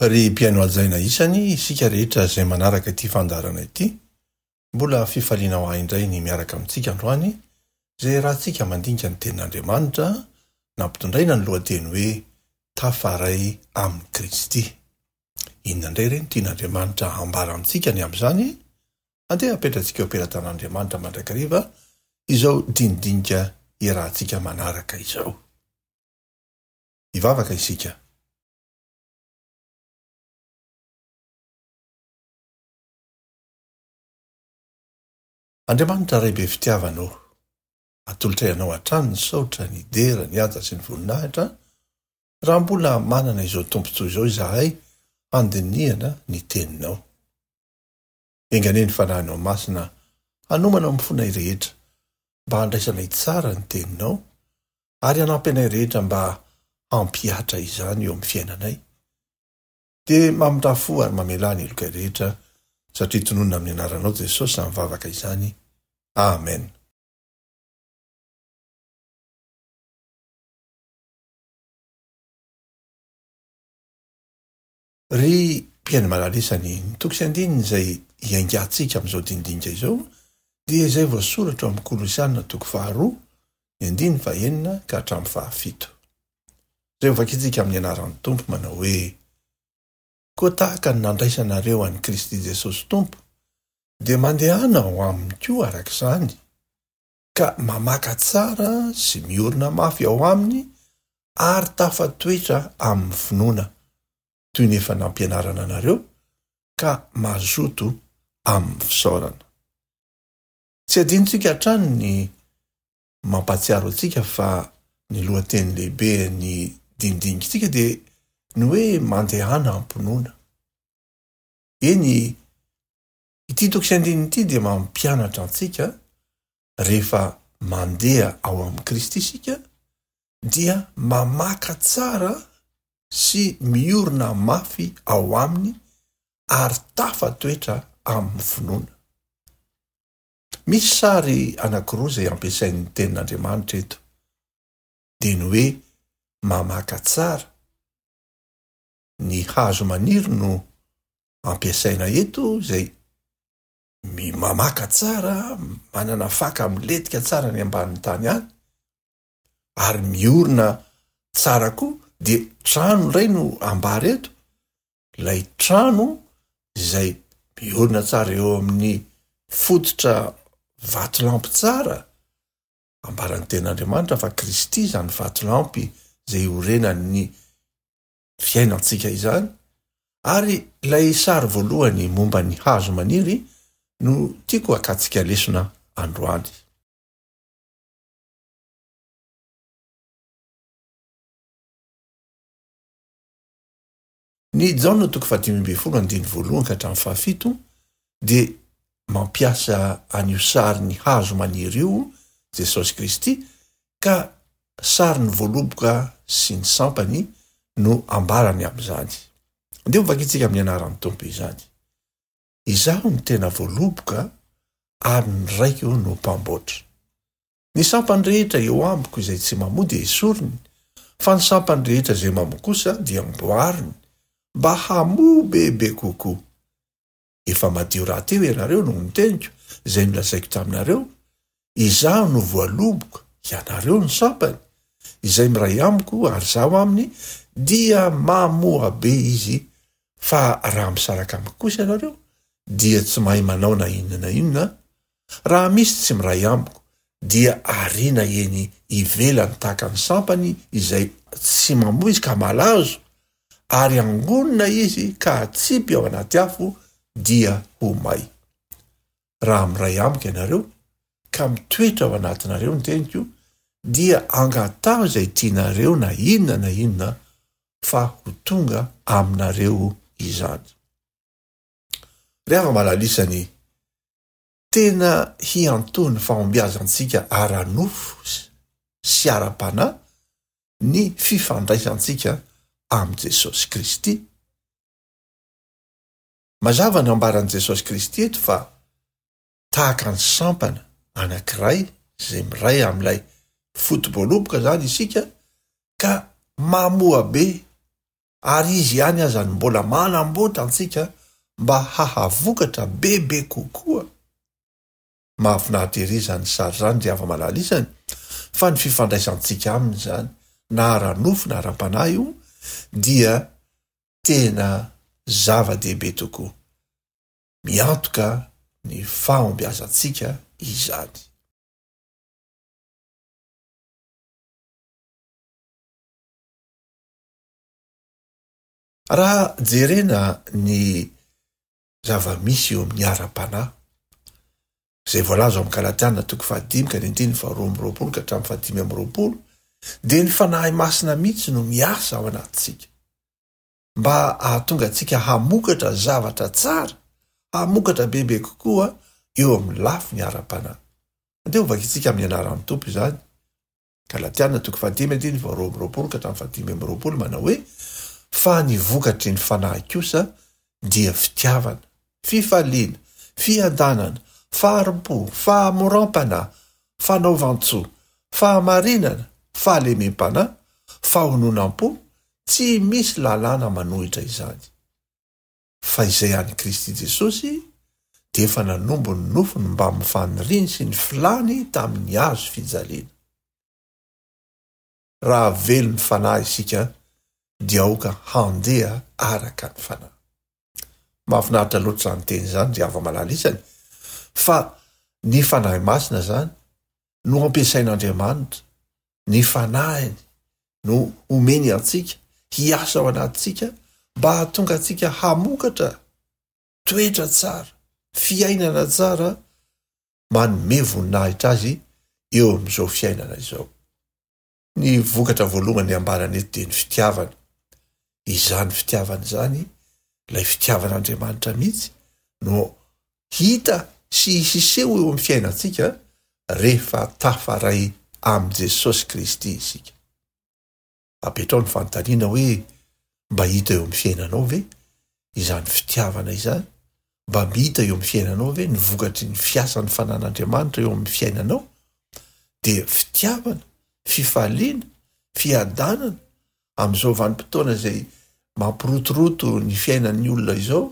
Ry mpihaino hajaina isany, isika rehetra izay manaraka ity fandaharana ity, mbola fifaliana ho ahy indray ny miaraka amintsika androany, izay iarahantsika mandinika ny Tenin'Andriamanitra, nampitondraina ny lohateny hoe Tafaray amin'i Kristy. Inona indray re no tian'Andriamanitra hambara amintsika ny amin'izany? Andeha hapetratsika eo am-pelatan'Andriamanitra mandrakariva izao dinidinika iarahantsika manaraka izao. Hivavaka isika. Andriamanitra Ray be fitiavana ô, atolotray Anao hatrany ny saotra, ny dera, ny haja sy ny voninahitra, raha mbola manana izao tombontsoa izao izahay handinihana ny Teninao. Enga anie ny Fanahinao Masina hanomana ny fonay rehetra mba handraisanay tsara ny Teninao ary hanampy anay rehetra mba hampihatra izany eo amin'ny fiainanay. Dia mamindrà fo ary mamelà ny helokay rehetra satria tononina amin'ny anaranao Jesosy izany vavaka izany. Amen. Ry mpihaino malala isany, ny toko sy andininy izay hiaingantsika amin'izao dinidinika izao dia izay voasoratra ao amin'ny Kolosiana toko faharoa, ny andininy fahenina ka hatramin'ny fahafito. Izay hovakintsika amin'ny anaran'ny Tompo manao hoe, Koa tahaka ny nandraisanareo an'i Kristy Jesosy Tompo, dia mandehana ao aminy koa araka izany, ka mamaka tsara sy miorina mafy ao aminy ary tafatoetra amin'ny finoana, toy ny efa nampianarana anareo, ka mazoto amin'ny fisaorana. Tsy adinontsika hatrany ny mampahatsiaro antsika fa ny lohateny lehibe ny dinidinikitsika dia ny hoe mandehana am-pinoana. Eny, Ity toko sy andininy ity dia mampianatra antsika rehefa mandeha ao amin'i Kristy isika dia mamaka tsara sy miorina mafy ao aminy ary tafatoetra amin'ny finoana. Misy sary anankiroa izay ampiasain'ny Tenin'Andriamanitra eto, dia ny hoe mamaka tsara, ny hazo maniry no ampiasaina eto izay mamaka tsara, manana faka milentika tsara any ambanin'ny tany any, ary miorina tsara koa, dia trano indray no ambara eto, ilay trano izay miorina tsara eo amin'ny fototra vatolampy tsara, ambaran'ny tenin'Andriamanitra fa Kristy izany vatolampy izay iorenan'ny fiainantsika izany, ary ilay sary voalohany momba ny hazo maniry no tiako hakantsika lesona androany. Ny Jaona toko fahadimy ambin'ny folo andininy voalohany ka hatramin'ny fahafito dia mampiasa an'io sarin'ny hazo maniry io Jesosy Kristy ka sarin'ny voaloboka sy ny sampany no ambarany amin'izany. Andeha ho vakintsika amin'ny anaran'ny Tompo izany. Izaho no tena voaloboka ary ny Raiko no mpamboatra. Ny sampany rehetra eo amiko izay tsy mamoa dia esoriny, fa ny sampany rehetra izay mamoa kosa dia amboariny mba hamoa bebe kokoa. Efa madio rahateo ianareo noho ny teniko izay nolazaiko taminareo, Izaho no voaloboka, ianareo no sampany, izay miray amiko ary izaho aminy dia mamoa be izy, fa raha misaraka amiko kosa ianareo dia tsy mahay manao na inona na inona, raha misy tsy miray amiko dia ariana eny ivelany tahaka ny sampany izay tsy mamoa izy ka malazo, ary angonina izy ka atsipy ao anaty afo dia ho may. Raha miray amiko ianareo, ka mitoetra ao anatinareo ny teniko, dia angataho izay tianareo na inona na inona fa ho tonga aminareo izany. Ry hava-malalisany, tena hiantoha ny fahombiazantsika ara-nofo sy ara-panahy ny fifandraisantsika amin'i Jesosy Kristy. Mazava ny ambaran'i Jesosy Kristy eto fa tahaka ny sampana anankiray izay miray amin'ilay foto-boaloboka izany isika ka mamoa be. Ary Izy ihany aza no mbola manamboatra antsika mba hahavokatra bebe kokoa. Mahafinaritra ery izany sary izany ry hava-malala isany, fa ny fifandraisantsika Aminy izany, na ara-nofo na ara-panahy io, dia tena zava-dehibe tokoa. Miantoka ny fahombiazantsika izany. Raha jerena ny zava-misy eo amin'ny ara-panahy, izay voalaza ao amin'ny Galatiana toko fahadimy ka ny andininy faharoa amby roapolo ka hatramin'ny fahadimy amby roapolo, dia ny Fanahy Masina mihitsy no miasa ao anatintsika, mba hahatonga antsika hamokatra zavatra tsara, hamokatra bebe kokoa eo amin'ny lafiny ara-panahy. Andeha hovakintsika amin'ny anaran'ny Tompo izany. Galatiana toko fahadimy andininy faharoa amby roapolo ka hatramin'ny fahadimy amby roapolo manao hoe, Fa ny vokatry ny Fanahy kosa dia fitiavana, fifaliana, fiadanana, fahari-po, fahamoram-panahy, fanaovan-tsoa, fahamarinana, fahalemem-panahy, fahononam-po, tsy misy lalàna manohitra izany. Fa izay an'i Kristy Jesosy dia efa nanombo ny nofony mbamin'ny faniriany sy ny filany tamin'ny hazo fijaliana. Raha velon'ny Fanahy isika dia aoka handeha araka ny Fanahy. Mahafinaritra loatra izany teny izany ry hava-malala isany, fa ny Fanahy Masina izany no ampiasain'Andriamanitra, ny Fanahiny no omeny antsika hiasa ao anatintsika mba hahatonga antsika hamokatra toetra tsara, fiainana tsara manome voninahitra azy eo amin'izao fiainana izao. Ny vokatra voalohany ambarany eto dia ny fitiavana. Izany fitiavana izany, ilay fitiavan'Andriamanitra mihitsy no hita sy hiseho eo amin'ny fiainantsika rehefa tafaray amin'i Jesosy Kristy isika. Apetraho ny fanontaniana hoe, mba hita eo amin'ny fiainanao ve izany fitiavana izany? Mba hita eo amin'ny fiainanao ve ny vokatry ny fiasan'ny fanan'Andriamanitra eo amin'ny fiainanao? Dia fitiavana, fifaliana, fiadanana amin'izao vanim-potoana izay mampirotoroto ny fiainan'ny olona izao,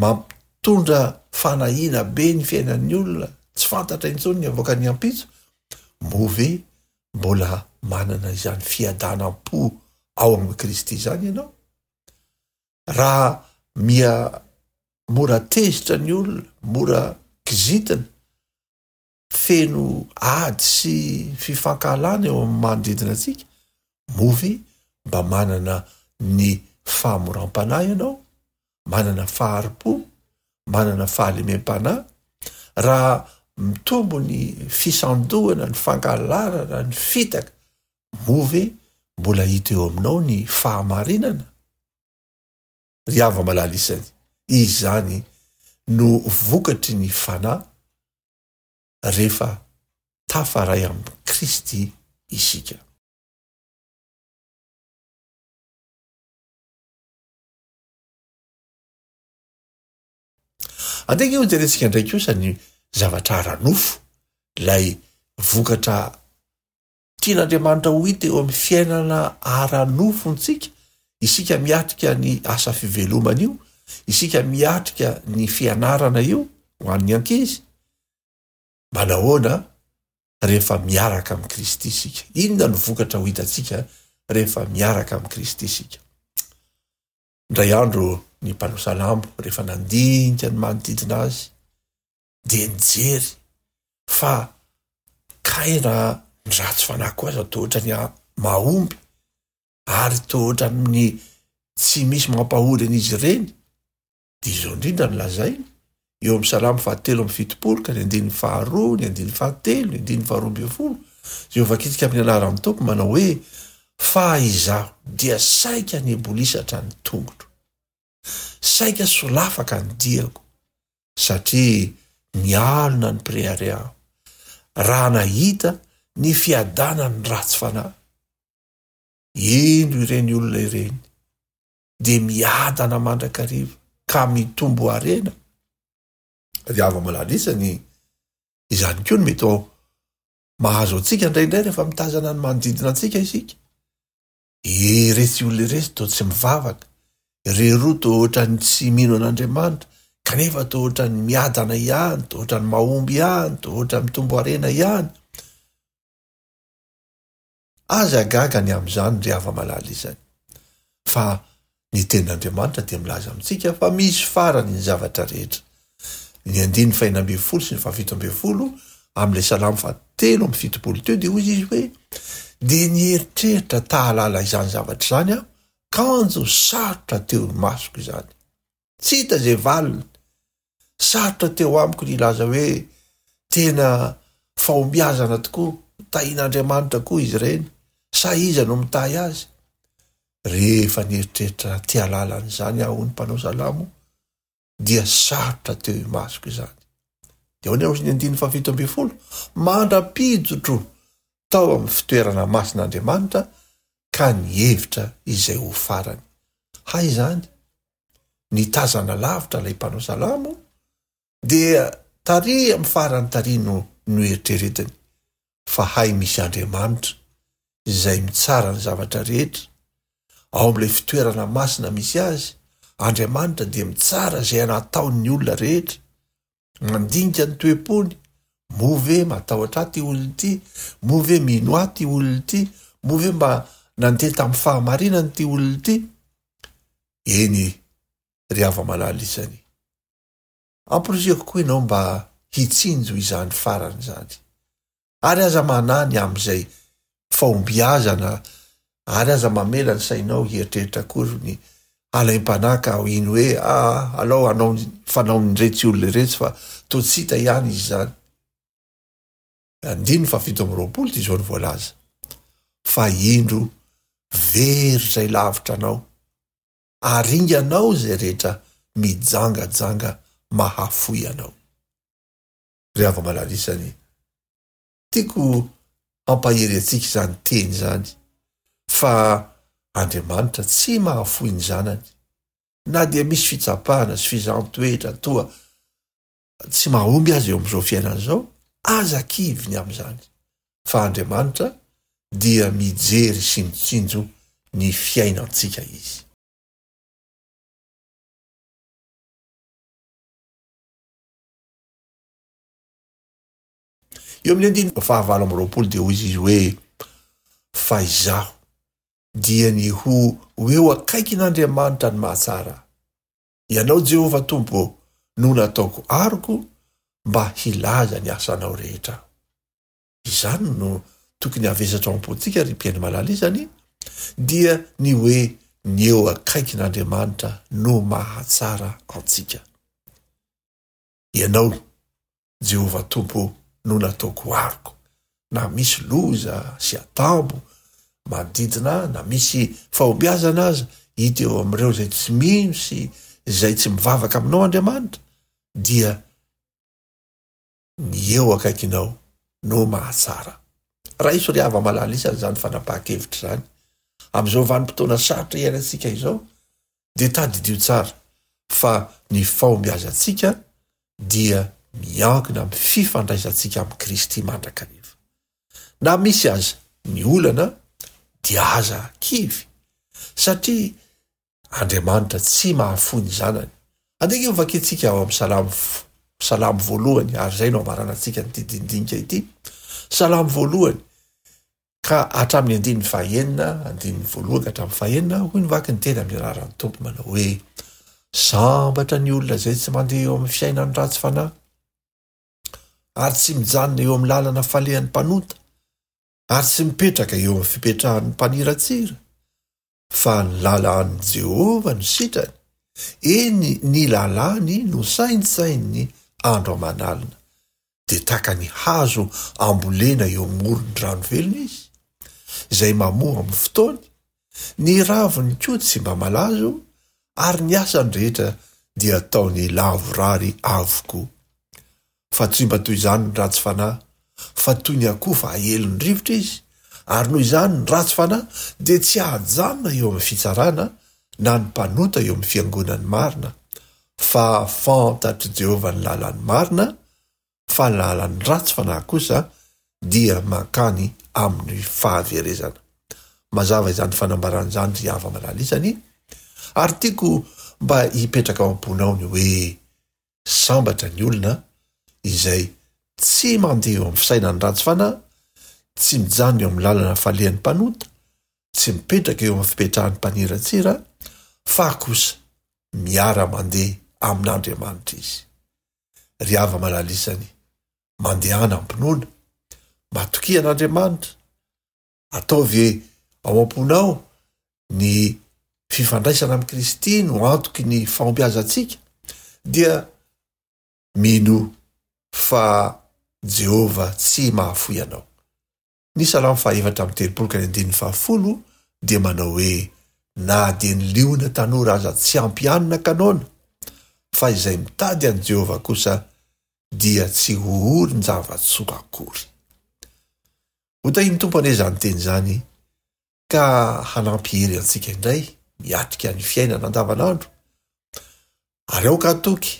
mampitondra fanahiana be ny fiainan'ny olona, tsy fantatra intsony ny avoakan'ny ampitso, moa ve mbola manana izany fiadanam-po ao amin'i Kristy izany ianao? Raha miha mora tezitra ny olona, mora kizitina, feno ady sy fifankahalana eo amin'ny manodidina antsika, moa ve mba manana ny fahamoram-panahy ianao? Manana fahari-po? Manana fahalemem-panahy? Raha mitombo ny fisandohana, ny fangalarana, ny fitaka, moa ve mbola hita eo aminao ny fahamarinana? Ry hava-malala isany, izany no vokatry ny Fanahy rehefa tafaray amin'i Kristy isika. Andeha ange hojerentsika indray kosa ny zavatra ara-nofo, ilay vokatra Tian'Andriamanitra ho hita eo amin'ny fiainana ara-nofontsika, isika miatrika ny asa fivelomana io, isika miatrika ny fianarana io ho an'ny ankizy. Manahoana rehefa miaraka amin'i Kristy isika? Inona no vokatra ho hitantsika rehefa miaraka amin'i Kristy isika? Indray andro ny mpanao salamo rehefa nandinika ny manodidina azy dia nijery fa kay raha ny ratsy fanahy koa aza toa ohatran'ny mahomby ary toa ohatran'ny tsy misy mampahory an'izy ireny, dia izao indrindra no lazainy eo amin'ny Salamo fahatelo amby fitopolo ka ny andininy faharoa, ny andininy fahatelo, ny andininy faharoa ambin'ny folo, izay hovakintsika amin'ny anaran'ny Tompo manao hoe, Fa izaho dia saika nibolisatra ny tongotro, saika solafaka ny diako, satria nialona ny mpirehareha aho, raha nahita ny fiadanan'ny ratsy fanahy. Indro ireny olona ireny dia miadana mandrakariva ka mitombo harena. Ry hava-malala isany, izany koa no mety ho mahazo antsika indraindray rehefa mitazana ny manodidina antsika isika. Iretsy olona iretsy toa tsy mivavaka, ireroa toa ohatran'ny tsy mino an'Andriamanitra, kanefa toa ohatran'ny miadana ihany, toa ohatran'ny mahomby ihany, toa ohatran'ny mitombo harena ihany. Aza gaga ny amin'izany ry hava-malala izany. Fa ny tenin'Andriamanitra dia milaza amintsika fa misy farany ny zavatra rehetra. Ny andininy fahena ambin'ny folo sy ny fahafito ambin'ny folo amin'ilay salamo fahatelo amby 70 teo dia hoy izy hoe, dia nieritreritra ta hahalala izany zavatra izany aho, kanjo sarotra teo imasoko izany. Tsy hita izay valiny. Sarotra teo amiko ny hilaza hoe tena fahombiazana tokoa, tahian'Andriamanitra koa izy ireny, sa iza no mitahy azy? Rehefa nieritreritra te hahalala an'izany aho, hoy ny mpanao salamo, dia sarotra teo imasoko izany. Dia ahoana hoy ny andininy faha-17? Mandra-pijotro tao amin'ny fitoerana masin'Andriamanitra ka nihevitra izay ho farany. Hay izany, nitazana lavitra ilay mpanao salamo, dia tary amin'ny farany tary no noeritreretiny fa hay misy Andriamanitra izay mitsara ny zavatra rehetra, ao amin'ilay fitoerana masina misy azy, Andriamanitra dia mitsara izay nataon'ny olona rehetra, mandinika ny toe-pony, moa ve matahotra ahy ity olona ity, moa ve mino ahy ity olona ity, moa ve mba nandeha tamin'ny fahamarinana ity olona ity? Eny ry hava-malala isany, amporisihako koa ianao mba hitsinjo izany farany izany. Ary aza manahy ny amin'izay fahombiazana ary aza mamela ny sainao hieritreritra akory ny halaim-panahy ka hino hoe aa alao hanao ny fanaon'iretsy olona iretsy fa toa tsy hita ihany izy izany. Andininy faha-27 dia izao no voalaza, Fa indro very izay lavitra anao, aringanao izay rehetra mijangajanga mahafoy anao. Ry hava-malala isany, tiako hampahery antsika izany teny izany fa Andriamanitra tsy mahafoy ny zanany na dia misy fitsapana sy fizahan-toetra toa tsy mahomby aza eo amin'izao fiainana izao, aza kivy ny amin'izany fa Andriamanitra dia mijery sy mitsinjo ny fiainantsika Izy. Eo amin'ny andininy faha-28 dia hoy izy hoe, Fa izaho dia ny ho ho eo akaikin'Andriamanitra ny mahatsara ahy. Ianao, Jehovah Tompo ô, no nataoko aroko mba hilaza ny asanao rehetra aho. Izany no tokony havesatra ao am-pontsika, ry mpihaino malala izany, dia ny hoe ny eo akaikin'Andriamanitra no mahatsara antsika. Ianao, Jehovah Tompo ô, no nataoko aroko. Na misy loza sy atambo manodidina ahy, na misy fahombiazana aza hita eo amin'ireo izay tsy mino sy izay tsy mivavaka aminao, Andriamanitra, dia ny eo akaikinao no mahatsara. Raiso ry hava-malala isany izany fanapahan-kevitra izany. Amin'izao vanim-potoana sarotra iainantsika izao, dia tadidio tsara fa ny fahombiazantsika dia miankina amin'ny fifandraisantsika amin'i Kristy mandrakariva. Na misy aza ny olana dia aza kivy satria Andriamanitra tsy mahafoy ny zanany. Andeha ange hovakintsika ao amin'ny Salamo Salamo voalohany ary izay no amaranantsika an'ity dinidinika ity. Salamo voalohany ka hatramin'ny andininy fahenina, andininy voalohany ka hatramin'ny fahenina, hoy ny vaky ny teny amin'ny anaran'ny Tompo manao hoe, Sambatra ny olona izay tsy mandeha eo amin'ny fiainan'ny ratsy fanahy, ary tsy mijanona eo amin'ny lalana falehan'ny mpanota, ary tsy mipetraka eo amin'ny fipetrahan'ny mpaniratsira, Fa ny lalàn'i Jehovah no sitrany, eny, ny lalàny no saintsaininy andro aman'alina. Dia tahaka ny hazo ambolena eo amoron-drano velona izy, izay mamoa amin'ny fotoany, ny raviny koa tsy mba malazo, ary ny asany rehetra dia ataony lavorary avokoa. Fa tsy mba toy izany ny ratsy fanahy, fa toy ny akofa aelin'ny rivotra izy, ary noho izany ny ratsy fanahy dia tsy hahajanona eo amin'ny fitsarana, na ny mpanota eo amin'ny fiangonan'ny marina. Fa fantatr'i Jehovah ny lalan'ny marina, fa ny lalan'ny ratsy fanahy kosa dia mankany amin'ny fahaverezana. Mazava izany fanambarana izany ry hava-malala isany, ary tiako mba hipetraka ao am-ponao ny hoe sambatra ny olona izay tsy mandeha eo amin'ny fisainan'ny ratsy fanahy, tsy mijanona eo amin'ny lalana falehan'ny mpanota, tsy mipetraka eo amin'ny fipetrahan'ny mpaniratsira, fa kosa miara-mandeha amin'Andriamanitra izy. Ry hava-malala isany, mandehana am-pinoana, matokia an'Andriamanitra, Ataovy ao am-ponao ny fifandraisana amin'i Kristy no antoky ny fahombiazantsika, dia minoa fa Jehovah tsy mahafoy anao. Ny Salamo fahaefatra amby telopolo ka ny andininy fahafolo dia manao hoe, Na dia ny liona tanora aza tsy ampy hanina ka noana, fa izay mitady an'i Jehovah kosa dia tsy ho orin-java-tsoa akory. Ho tahin'ny Tompo anie izany teny izany ka hanampy hery antsika indray miatrika ny fiainana andavanandro ary aoka hatoky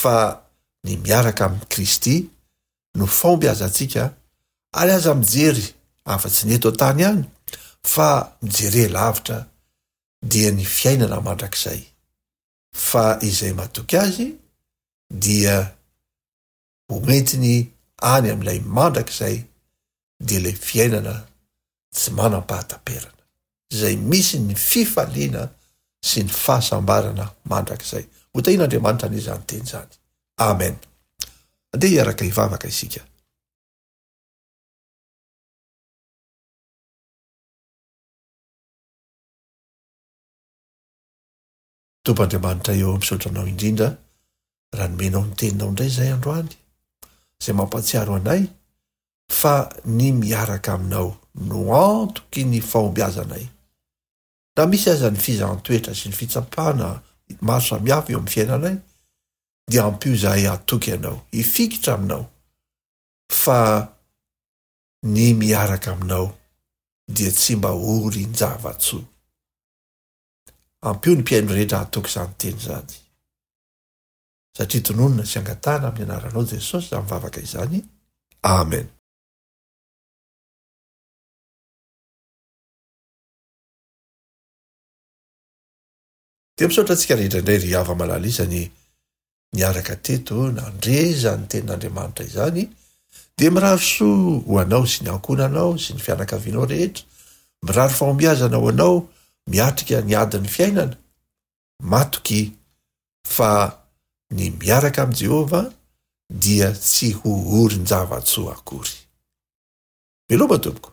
fa ny miaraka amin'i Kristy no fahombiazantsika ary aza mijery afa-tsy ny eto an-tany ihany fa mijere lavitra dia ny fiainana mandrakizay fa izay matoky azy dia ho entiny any amin'ilay mandrakizay dia ilay fiainana tsy manam-pahataperana, izay misy ny fifaliana sy ny fahasambarana mandrakizay. Ho tahian'Andriamanitra anie izany teny izany. Amen. Andeha hiaraka hivavaka isika. Tompo Andriamanitra eo, misaotra Anao indrindra raha nomenao ny teninao indray izay androany, izay mampahatsiaro anay fa ny miaraka aminao no antoky ny fahombiazanay. Na misy aza ny fizahan-toetra sy ny fitsapana maro samihafa eo amin'ny fiainanay, dia ampio izahay hatoky Anao, hifikitra aminao, fa ny miaraka aminao dia tsy mba orin-java-tsoa. Ampio ny mpihaino rehetra hatoky izany teny izany. Satria tononina sy angatahana amin'ny anaranao Jesosy izany vavaka izany. Amen. Dia misaotra antsika rehetra indray ry hava malala isany niaraka teto nandre izany tenin'Andriamanitra izany dia mirary soa ho anao sy ny ankohonanao sy ny fianakavianao rehetra, mirary fahombiazana ho anao miatrika ny adin'ny fiainana, matoky fa ny miaraka amin'i Jehovah dia tsy ho orin-java-tsoa akory. Veloma tompoko!